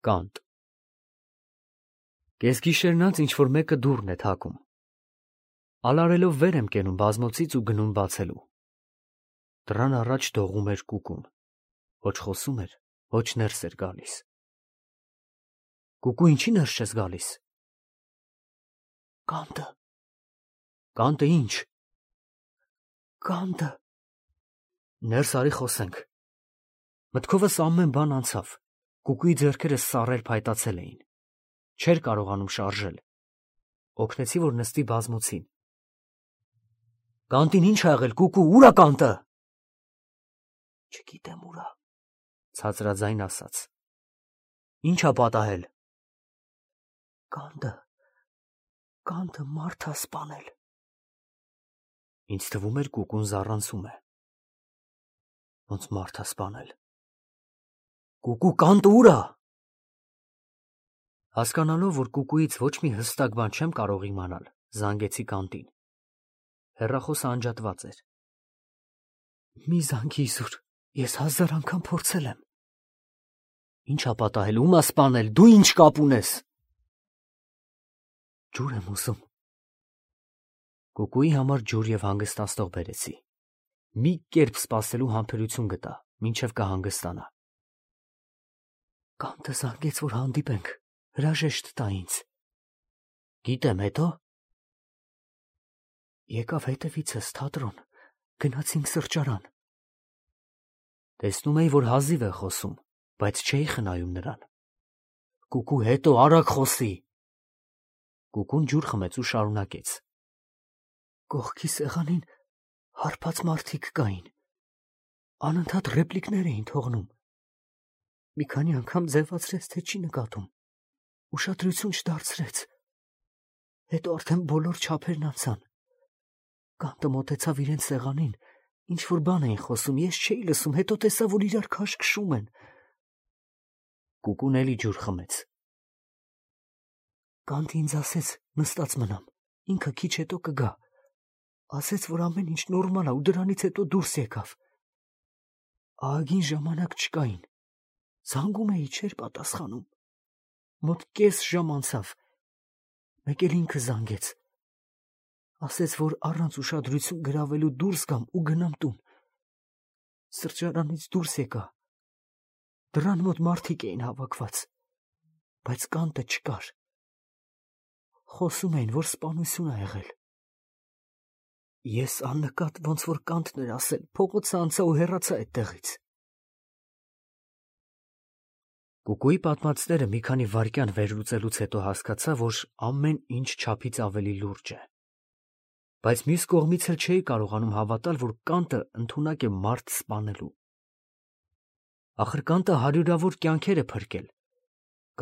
Կանտ։ Կեսգիշերնած ինչ-որ մեկը դուռն է թակում։ Ալարելով վեր եմ կենում բազմոցից ու գնում բացելու։ Դռան առաջ դողում էր կուկուն։ Ոչ խոսում էր, ոչ ներս էր գալիս։ Կուկու, ինչի ներս չես գալիս։ Կանտը։ Կանտը ինչ։ Կանտը։ Ներս արի խոսենք։ Մտքովս ամեն բան անցավ։ Կուկուի ձեռքերը սառեր փայտացել էին։ Չէր կարողանում շարժել։ Օգնեցի, որ նստի բազմոցին։ Կանտին ինչ ա եղել, կուկու, ուր ա կանտը։ Չգիտեմ ուր ա, ցածրաձայն ասաց։ Ինչ ա պատահել։ Կանտը մարդ ա սպանել։ Ինձ թվում էր կուկուն զառանցում է։ Ոնց մարդ ա սպանել։ Կուկու, կանտը ուր ա։ Հասկանալով, որ կուկուից ոչ մի հստակ բան չեմ կարող իմանալ, զանգեցի կանտին։ Հեռախոսը անջատված էր։ Մի զանգի Իզուր, ես 1000 անգամ փորձել եմ։ Ինչ ա պատահել, ում ա սպանել, դու ինչ կապ ունես։ Ջուր եմ ուզում։ Կուկուի համար ջուր և հանգստացնող բերեցի։ Մի կերպ սպասելու համբերություն գտա, մինչև կհանգստանա։ Կանտը զանգեց, որ հանդիպենք, հրաժեշտ տա ինձ։ Գիտեմ, հետո։ Եկավ հետևիցս թատրոն, գնացինք սրճարան։ Տեսնում էի, որ հազիվ է խոսում, բայց չէի խնայում նրան։ Կուկու, հետո արագ խոսի։ Կուկուն ջուր խմեց ու շարունակեց։ Կողքի սեղանին հարբած մարդիկ կային։ Անընդհատ ռեպլիկներ էին թողնում։ Մի քանի անգամ ձևացրեց, թե չի նկատում։ Ուշադրություն չդարձրեց։ Հետո արդեն բոլոր չափերն անցան։ Կանտը մոտեցավ իրենց սեղանին, ինչ-որ բան էին խոսում, ես չէի լսում, հետո տեսա, որ իրար քաշքշում են։ Կուկուն էլի ջուր խմեց։ Կանտը ինձ ասեց, նստած մնամ, ինքը քիչ հետո կգա։ Ասեց, որ ամեն ինչ նորմալ ա ու դրանից հետո դուրս եկավ։ Ահագին ժամանակ չկային։ Զանգում էի, չէր պատասխանում։ Մոտ կես ժամ անցավ։ Մեկ էլ ինքը զանգեց։ Ասեց, որ առանց ուշադրություն գրավելու դուրս գամ ու գնամ տուն։ Սրճարանից դուրս եկա։ Դռան մոտ մարդիկ էին հավաքված, բայց կանտը չկար։ Խոսում էին, որ սպանություն ա եղել։ Ես աննկատ ոնց որ կանտն էր ասել, փողոցը անցա ու հեռացա այդտեղից։ Կուկուի պատմածները մի քանի վայրկյան վերլուծելուց հետո հասկացա, որ ամեն ինչ չափից ավելի լուրջ է։ Բայց մյուս կողմից էլ չէի կարողանում հավատալ, որ կանտը ընդունակ է մարդ սպանելու։ Ախր կանտը հարյուրավոր կյանքեր է փրկել։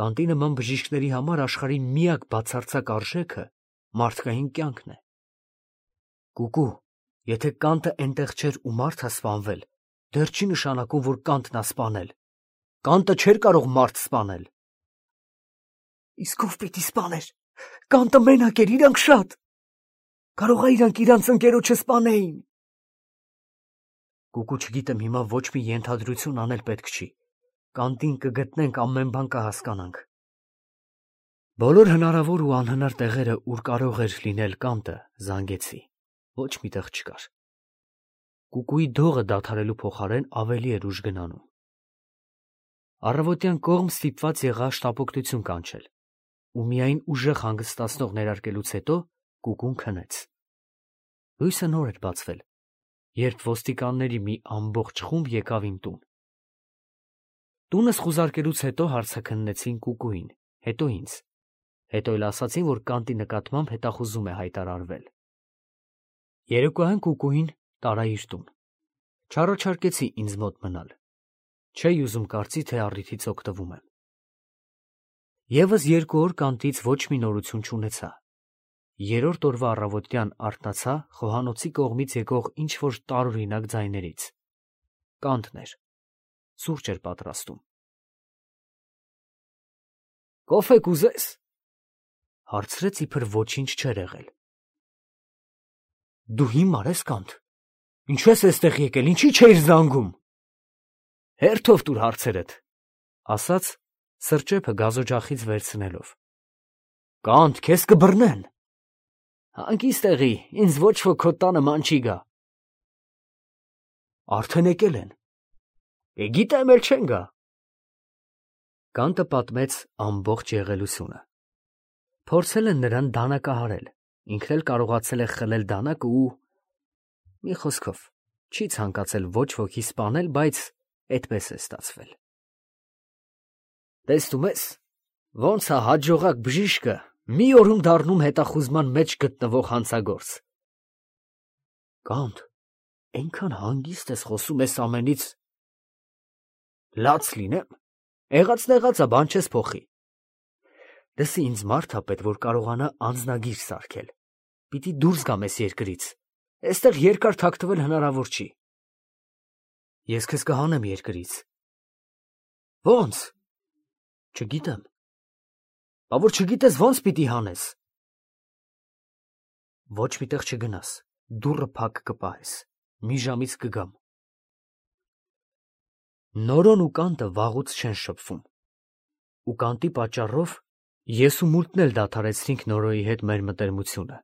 Կանտի նման բժիշկների համար աշխարհի միակ բացարձակ արժեքը մարդկային կյանքն է։ Կուկու, եթե կանտը այնտեղ չէր ու մարդ ա սպանվել, դեռ չի նշանակում, որ կանտն ա սպանել։ Կանտը չէր կարող մարդ սպանել։ Իսկ ով պիտի սպաներ։ Կանտը մենակ էր, իրանք շատ։ Կարող ա իրանք իրանց ընկերոջը սպանեին։ Կուկու, չգիտեմ հիմա ոչ մի ենթադրություն անել պետք չի։ Կանտին կգտնենք, ամեն բան կհասկանանք։ Բոլոր հնարավոր ու անհնար տեղերը, ուր կարող էր լինել կանտը, զանգեցի։ Ոչ մի տեղ չկար։ Կուկուի դողը դադարելու փոխարեն ավելի էր ուժ գնանում։ Առավոտյան կողմ ստիպված եղա շտապօգնություն կանչել, ու միայն ուժեղ հանգստացնող ներարկելուց հետո կուկուն քնեց։ Լույսը նոր էր բացվել, երբ ոստիկանների մի ամբողջ խումբ եկավ իմ տուն։ Տունս խուզարկելուց հետո հարցաքննեցին կուկուին, հետո ինձ, հետո էլ ասացին, որ կանտի նկատմամբ հետախուզում է հայտարարվել։ Երեկոյան կուկուին տարա իր տուն։ Չառաջարկեցի ինձ մոտ մնալ։ Չէի ուզում կարծի, թե առիթից օգտվում եմ։ Եվս 2 օր կանտից ոչ մի նորություն չունեցա։ 3-րդ օրվա առավոտյան արթնացա խոհանոցի կողմից եկող ինչ-որ տարօրինակ ձայներից։ Կանտն էր։ Սուրճ էր պատրաստում։ Կոֆե կուզես, հարցրեց, իբր ոչինչ չէր եղել։ Դու հիմար ես, Կանտ։ Ինչու ես այստեղ եկել, ինչի չէիր զանգում։ Հերթով տուր հարցերդ, ասաց, սրճեփը գազօջախից վերցնելով։ Կանտ, քեզ կբռնեն։ Հանգիստ եղի, ինձ ոչ ոք քո տանը ման չի գա։ Արդեն եկել են։ Գիտեմ, էլ չեն գա։ Կանտը պատմեց ամբողջ եղելությունը։ Փորձել են նրան դանակահարել, ինքն էլ կարողացել է խլել դանակը ու մի խոսքով չի ցանկացել ոչ ոքի սպանել, բայց այդպես է ստացվել։ Տեսնում ես, ոնց է հաջողակ բժիշկը մի օրում դառնում հետախուզման մեջ գտնվող հանցագործ։ Կանտ, այնքան հանգիստ ես խոսում ես ամենից։ Լաց լինեմ, եղած-նեղածը բան չես փոխի։ Դեսի ինձ մարդ ա պետք, որ կարողանա անձնագիր սարքել։ Պիտի դուրս գամ ես երկրից։ Այստեղ երկար թաքնվել հնարավոր չի։ Ես քեզ կհանեմ երկրից։ Ոնց։ Չգիտեմ։ Բա որ չգիտես ոնց պիտի հանես։ Ոչ միտեղ չգնաս, դուռը փակ կպահես, մի ժամից կգամ։ Նորոն ու կանտը վաղուց չեն շփվում։ Ու կանտի պատճառով ես ու մուլտն էլ դադարեցրինք Նորոյի հետ մեր մտերմությունը։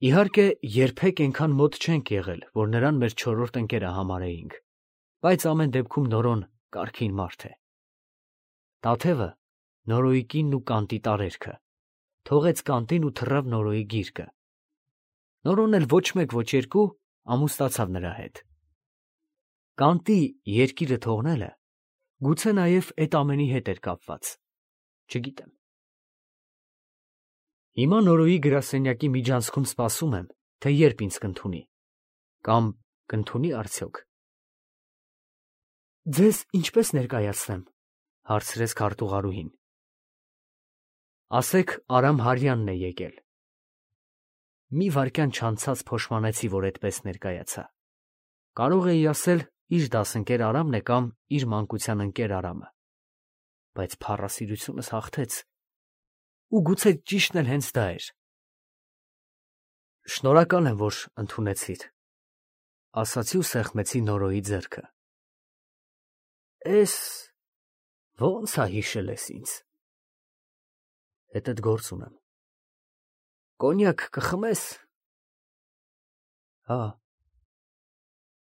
Իհարկե, երբեք այնքան մոտ չենք եղել, որ նրան մեր չորրորդ ընկերը համարեինք, բայց ամեն դեպքում Նորոն կարգին մարդ է։ Տաթևը Նորոյի կինն ու կանտի տարերքը, թողեց կանտին ու թռավ Նորոյի գիրկը։ Նորոն էլ ոչ մեկ, ոչ երկու ամուսնացավ նրա հետ։ Կանտի երկիրը թողնելը գուցե նաև այդ ամենի հետ էր կապված, չգիտեմ։ Հիմա Նորոյի գրասենյակի միջանցքում սպասում եմ, թե երբ ինձ կընդունի, կամ կընդունի արդյոք։ Ձեզ ինչպես ներկայացնեմ, հարցրեց քարտուղարուհին։ Ասեք Արամ Հարյանն է եկել։ Մի վայրկյան չանցած փոշմանեցի, որ այդպես ներկայացա։ Կարող էի ասել իր դասընկեր Արամն է կամ իր մանկության ընկեր Արամը, բայց փառասիրությունս հաղթեց, ու գուցե ճիշտն էլ հենց դա էր։ Շնորհակալ եմ, որ ընդունեցիր, ասացի ու սեղմեցի Նորոյի ձեռքը։ Էս ո՞նց է հիշել ես ինձ։ Հետդ գործ ունեմ։ Կոնյակ կխմես։ Հա։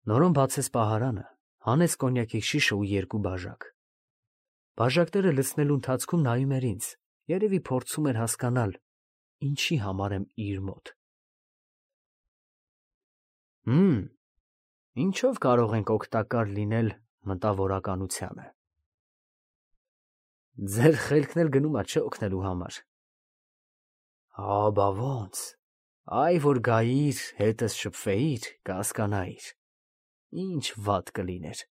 Նորոն բացեց պահարանը, հանեց կոնյակի շիշը ու երկու բաժակ։ Բաժակները լցնելու ընթացքում նայում էր ինձ, երևի փորձում էր հասկանալ, ինչի համար եմ իր մոտ։ Ինչով կարող ենք օգտակար լինել մտավորականությանը։ Ձեր խելքն էլ գնում է չէ օգնելու համար։ Հա, բա ոնց։ Այ որ գայիր, հետս շփվեիր, կհասկանայիր։ Ինչ վատ կլիներ։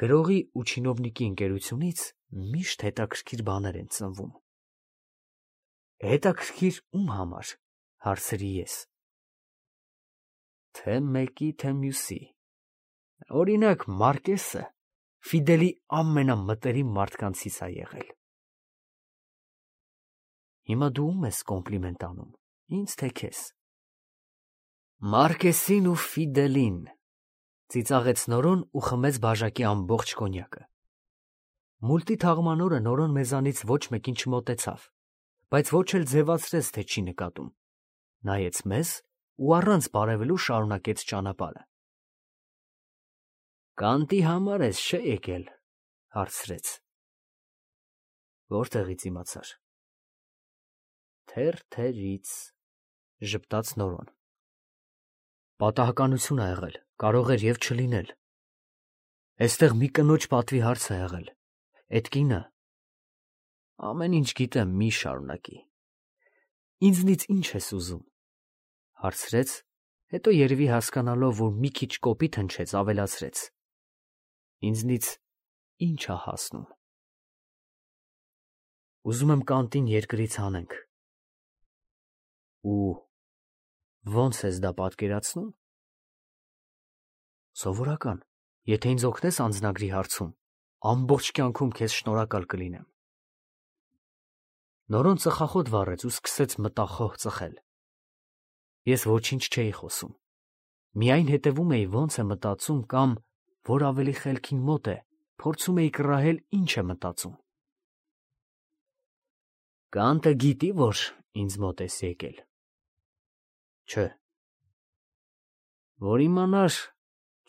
Գրողի ու չինովնիկի ընկերությունից միշտ հետաքրքիր բաներ են ծնվում։ Հետաքրքիր ում համար, հարցրի ես։ Թե մեկի, թե մյուսի։ Օրինակ, Մարկեսը Ֆիդելի ամենամտերիմ մարդկանցից է եղել։ Հիմա դու ում ես կոմպլիմենտ անում, ինձ թե քեզ։ Մարկեսին ու Ֆիդելին, ծիծաղեց Նորոն ու խմեց բաժակի ամբողջ կոնյակը։ Մուլտի թաղման օրը Նորոն մեզանից ոչ մեկին չմոտեցավ, բայց ոչ էլ ձևացրեց, թե չի նկատում։ Նայեց մեզ ու առանց բարևելու շարունակեց ճանապարհը։ Կանտի համար ես չէ եկել, հարցրեց։ Որտեղից իմացար։ Թերթերից, ժպտաց Նորոն։ Պատահականություն ա եղել, կարող էր և չլինել։ Էստեղ մի կնոջ պատվի հարց ա եղել։ Էդ կինը ամեն ինչ գիտեմ, մի շարունակի։ Ինձնից ինչ ես ուզում, հարցրեց, հետո երևի հասկանալով, որ մի քիչ կոպիտ հնչեց, ավելացրեց։ Ինձնից ինչ ա հասնում։ Ուզում եմ կանտին երկրից հանենք։ Ու ոնց ես դա պատկերացնում։ Սովորական, եթե ինձ օգնես անձնագրի հարցում, ամբողջ կյանքում քեզ շնորհակալ կլինեմ։ Նորոն ծխախոտ վառեց ու սկսեց մտախոհ ծխել։ Ես ոչինչ չէի խոսում։ Միայն հետևում էի ոնց է մտածում կամ, որ ավելի խելքին մոտ է, փորձում էի կռահել ինչ է մտածում։ Կանտը գիտի, որ ինձ մոտ ես եկել։ Չէ։ Որ իմանար,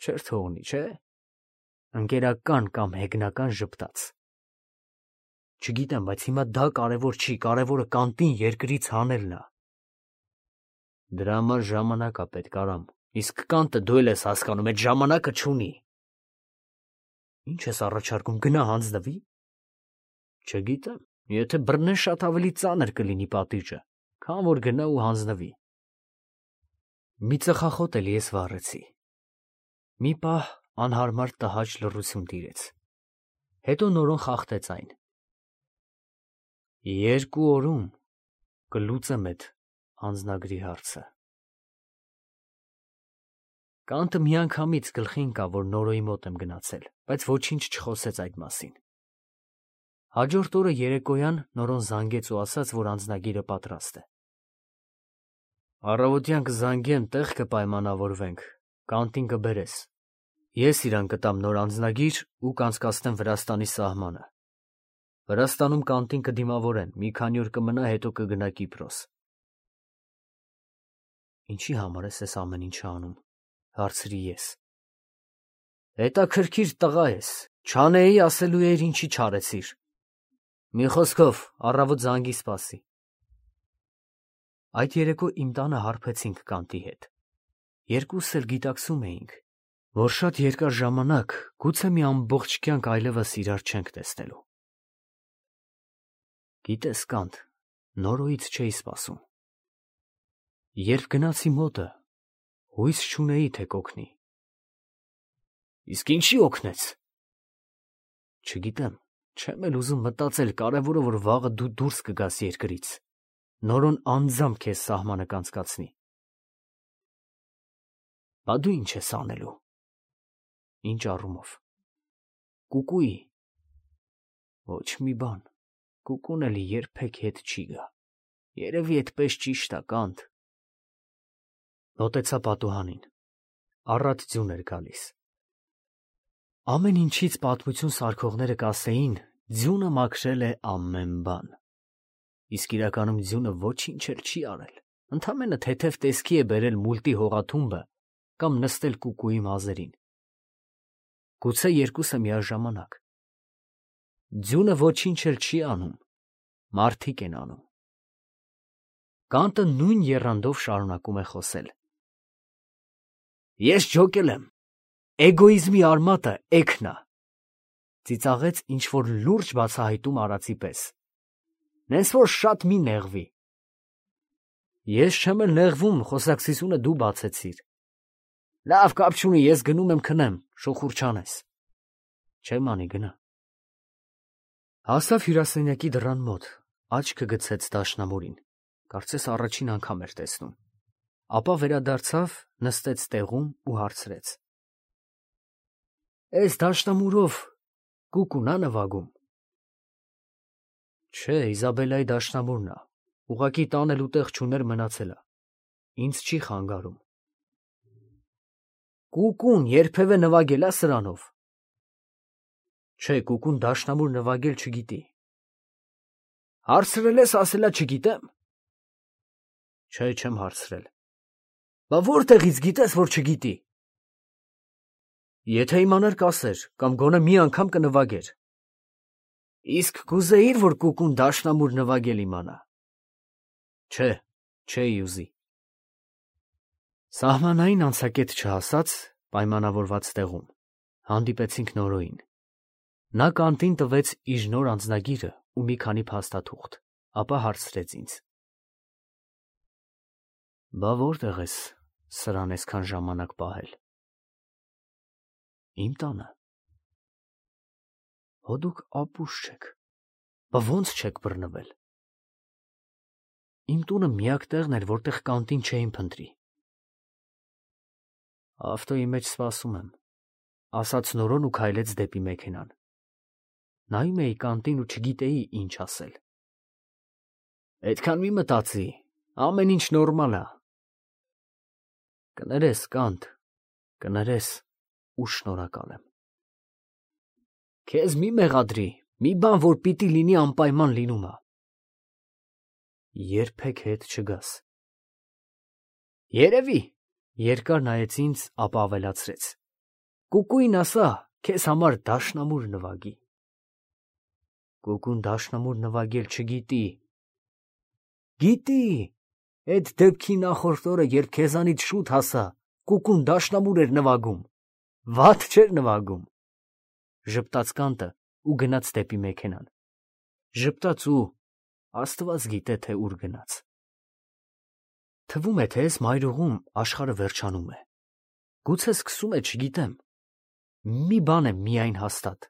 չէր թողնի, չէ։ Ընկերական կամ հեգնական ժպտաց։ Չգիտեմ, բայց հիմա դա կարևոր չի, կարևորը կանտին երկրից հանելն է։ Դրա համար ժամանակ է պետք, Արամ, իսկ կանտը դու էլ ես հասկանում, այդ ժամանակը չունի։ Ինչ ես առաջարկում, գնա հանձնվի։ Չգիտեմ, եթե բռնեն շատ ավելի ծանր կլինի պատիժը, քան որ գնա ու հանձնվի։ Մի ծխախոտ էլ ես վառեցի։ Մի պահ անհարմար տհաճ լռություն տիրեց։ Հետո նորոն խախտեց այն։ 2 օրում կլուծեմ այդ հանձնագրի հարցը։ Կանտը միանգամից գլխի ընկավ, որ Նորոյի մոտ եմ գնացել, բայց ոչինչ չխոսեց այդ մասին։ Հաջորդ օրը երեկոյան Նորոն զանգեց ու ասաց, որ անձնագիրը պատրաստ է։ Առավոտյան կզանգեմ, տեղ կպայմանավորվենք, կանտին կբերես։ Ես իրան կտամ նոր անձնագիր ու կանցկացնեմ Վրաստանի սահմանը։ Վրաստանում կանտին կդիմավորեն, մի քանի օր կմնա, հետո կգնա Կիպրոս։ Ինչի համար ես ամեն ինչ անում, հարցրի ես։ Հետաքրքիր տղա ես, չանեի ասելու էր ինչի չարեցիր։ Մի խոսքով, առավոտ զանգի սպասի։ Այդ երեկո իմ տանը հարբեցինք կանտի հետ։ Երկուսս էլ գիտակցում էինք, որ շատ երկար ժամանակ գուցե մի ամբողջ կյանք այլևս իրար չենք տեսնելու։ Գիտես, Կանտ, Նորոյից չէի սպասում։ Երբ գնացի մոտը, հույս չունեի, թե կօգնի։ Իսկ ինչի օգնեց։ Չգիտեմ, չեմ էլ ուզում մտածել, կարևորը որ վաղը դու դուրս կգաս երկրից։ Նորոն անձամբ քեզ սահմանը կանցկացնի։ Բա դու ինչ ես անելու։ Ինչ առումով։ Կուկուի։ Ոչ մի բան։ Կուկուն էլի երբեք հետ չի գա։ Երևի այդպես ճիշտ է, Կանտ։ Մոտեցա պատուհանին։ Առատ ձյուն էր գալիս։ Ամեն ինչից պատմություն սարքողները կասեին, ձյունը մաքրել է ամեն բան։ Իսկ իրականում ձյունը ոչինչ էլ չի արել։ Ընդամենը թեթև տեսքի է բերել մուլտի հողաթումբը կամ նստել կուկուի մազերին։ Գուցե երկուսը միաժամանակ։ Ձյունը ոչինչ էլ չի անում, մարդիկ են անում։ Կանտը նույն եռանդով շարունակում է խոսել։ Ես ջոկել եմ։ Էգոիզմի արմատը էգն է։ Ծիծաղեց ինչ-որ լուրջ բացահայտում արածի պես։ Նենց որ շատ մի նեղվի։ Ես չեմ էլ նեղվում, խոսակցությունը դու բացեցիր։ Լավ, կապ չունի, ես գնում եմ քնեմ, շուխուր չանես։ Չեմ անի, գնա։ Հասավ հյուրասենյակի դռան մոտ, աչքը գցեց դաշնամուրին, կարծես առաջին անգամ էր տեսնում։ Ապա վերադարձավ, նստեց տեղում ու հարցրեց. Էս դաշնամուրով կուկուն ա նվագում։ Չէ, Իզաբելայի դաշնամուրն է, ուղղակի տանելու տեղ չուներ, մնացել է։ Ինձ չի խանգարում։ Կուկուն երբևէ նվագել ա սրանով։ Չէ, կուկուն դաշնամուր նվագել չգիտի։ Հարցրել ես, ասել ա չգիտեմ։ Չէ, չեմ հարցրել։ Բա որտեղից գիտես, որ չգիտի։ Եթե իմանար կասեր, կամ գոնե մի անգամ կնվագեր։ Իսկ կուզեիր, որ կուկուն դաշնամուր նվագել իմանա։ Չէ, չէի ուզի։ Սահմանային անցակետ չհասած, պայմանավորված տեղում, հանդիպեցինք Նորոյին։ Նա կանտին տվեց իր նոր անձնագիրը ու մի քանի փաստաթուղթ, ապա հարցրեց ինձ. Բա որտեղ ես սրան այսքան ժամանակ պահել։ Իմ տանը։ Հո դուք ապուշ չեք, բա ոնց չեք բռնվել։ Իմ տունը միակ տեղն էր, որտեղ կանտին չէին փնտրի։ Ավտոյի մեջ սպասում եմ, ասաց Նորոն ու քայլեց դեպի մեքենան։ Նայում էի կանտին ու չգիտեի ինչ ասել։ Այդքան մի մտածի, ամեն ինչ նորմալ է։ Կներես, Կանտ, կներես ու շնորհակալ եմ։ Քեզ մի մեղադրի, մի բան, որ պիտի լինի անպայման լինում է։ Երբեք հետ չգաս։ Երևի, երկար նայեց ինձ, ապա ավելացրեց. Կուկուին ասա, քեզ համար դաշնամուր նվագի։ Կուկուն դաշնամուր նվագել չգիտի։ Գիտի, այդ դեպքի նախորդ օրը, երբ քեզանից շուտ հասա, կուկուն դաշնամուր էր նվագում, վատ չէր նվագում։ Ժպտաց կանտը ու գնաց դեպի մեքենան։ Ժպտաց ու Աստված գիտե, թե ուր գնաց։ Թվում է, թե այս մայրուղում աշխարհը վերջանում է։ Գուցե սկսում է, չգիտեմ։ Մի բան է միայն հաստատ.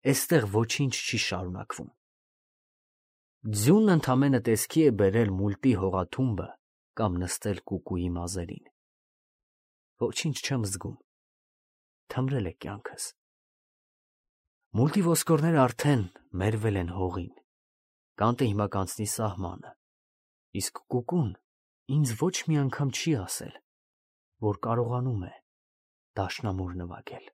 այստեղ ոչինչ չի շարունակվում։ Ձյունն ընդամենը տեսքի է բերել մուլտի հողաթումբը կամ նստել կուկուի մազերին։ Ոչինչ չեմ զգում։ Թմրել է կյանքս։ Մուլտի ոսկորները արդեն մերվել են հողին։ Կանտը հիմա կանցնի սահմանը։ Իսկ կուկուն ինձ ոչ մի անգամ չի ասել, որ կարողանում է դաշնամուր նվագել։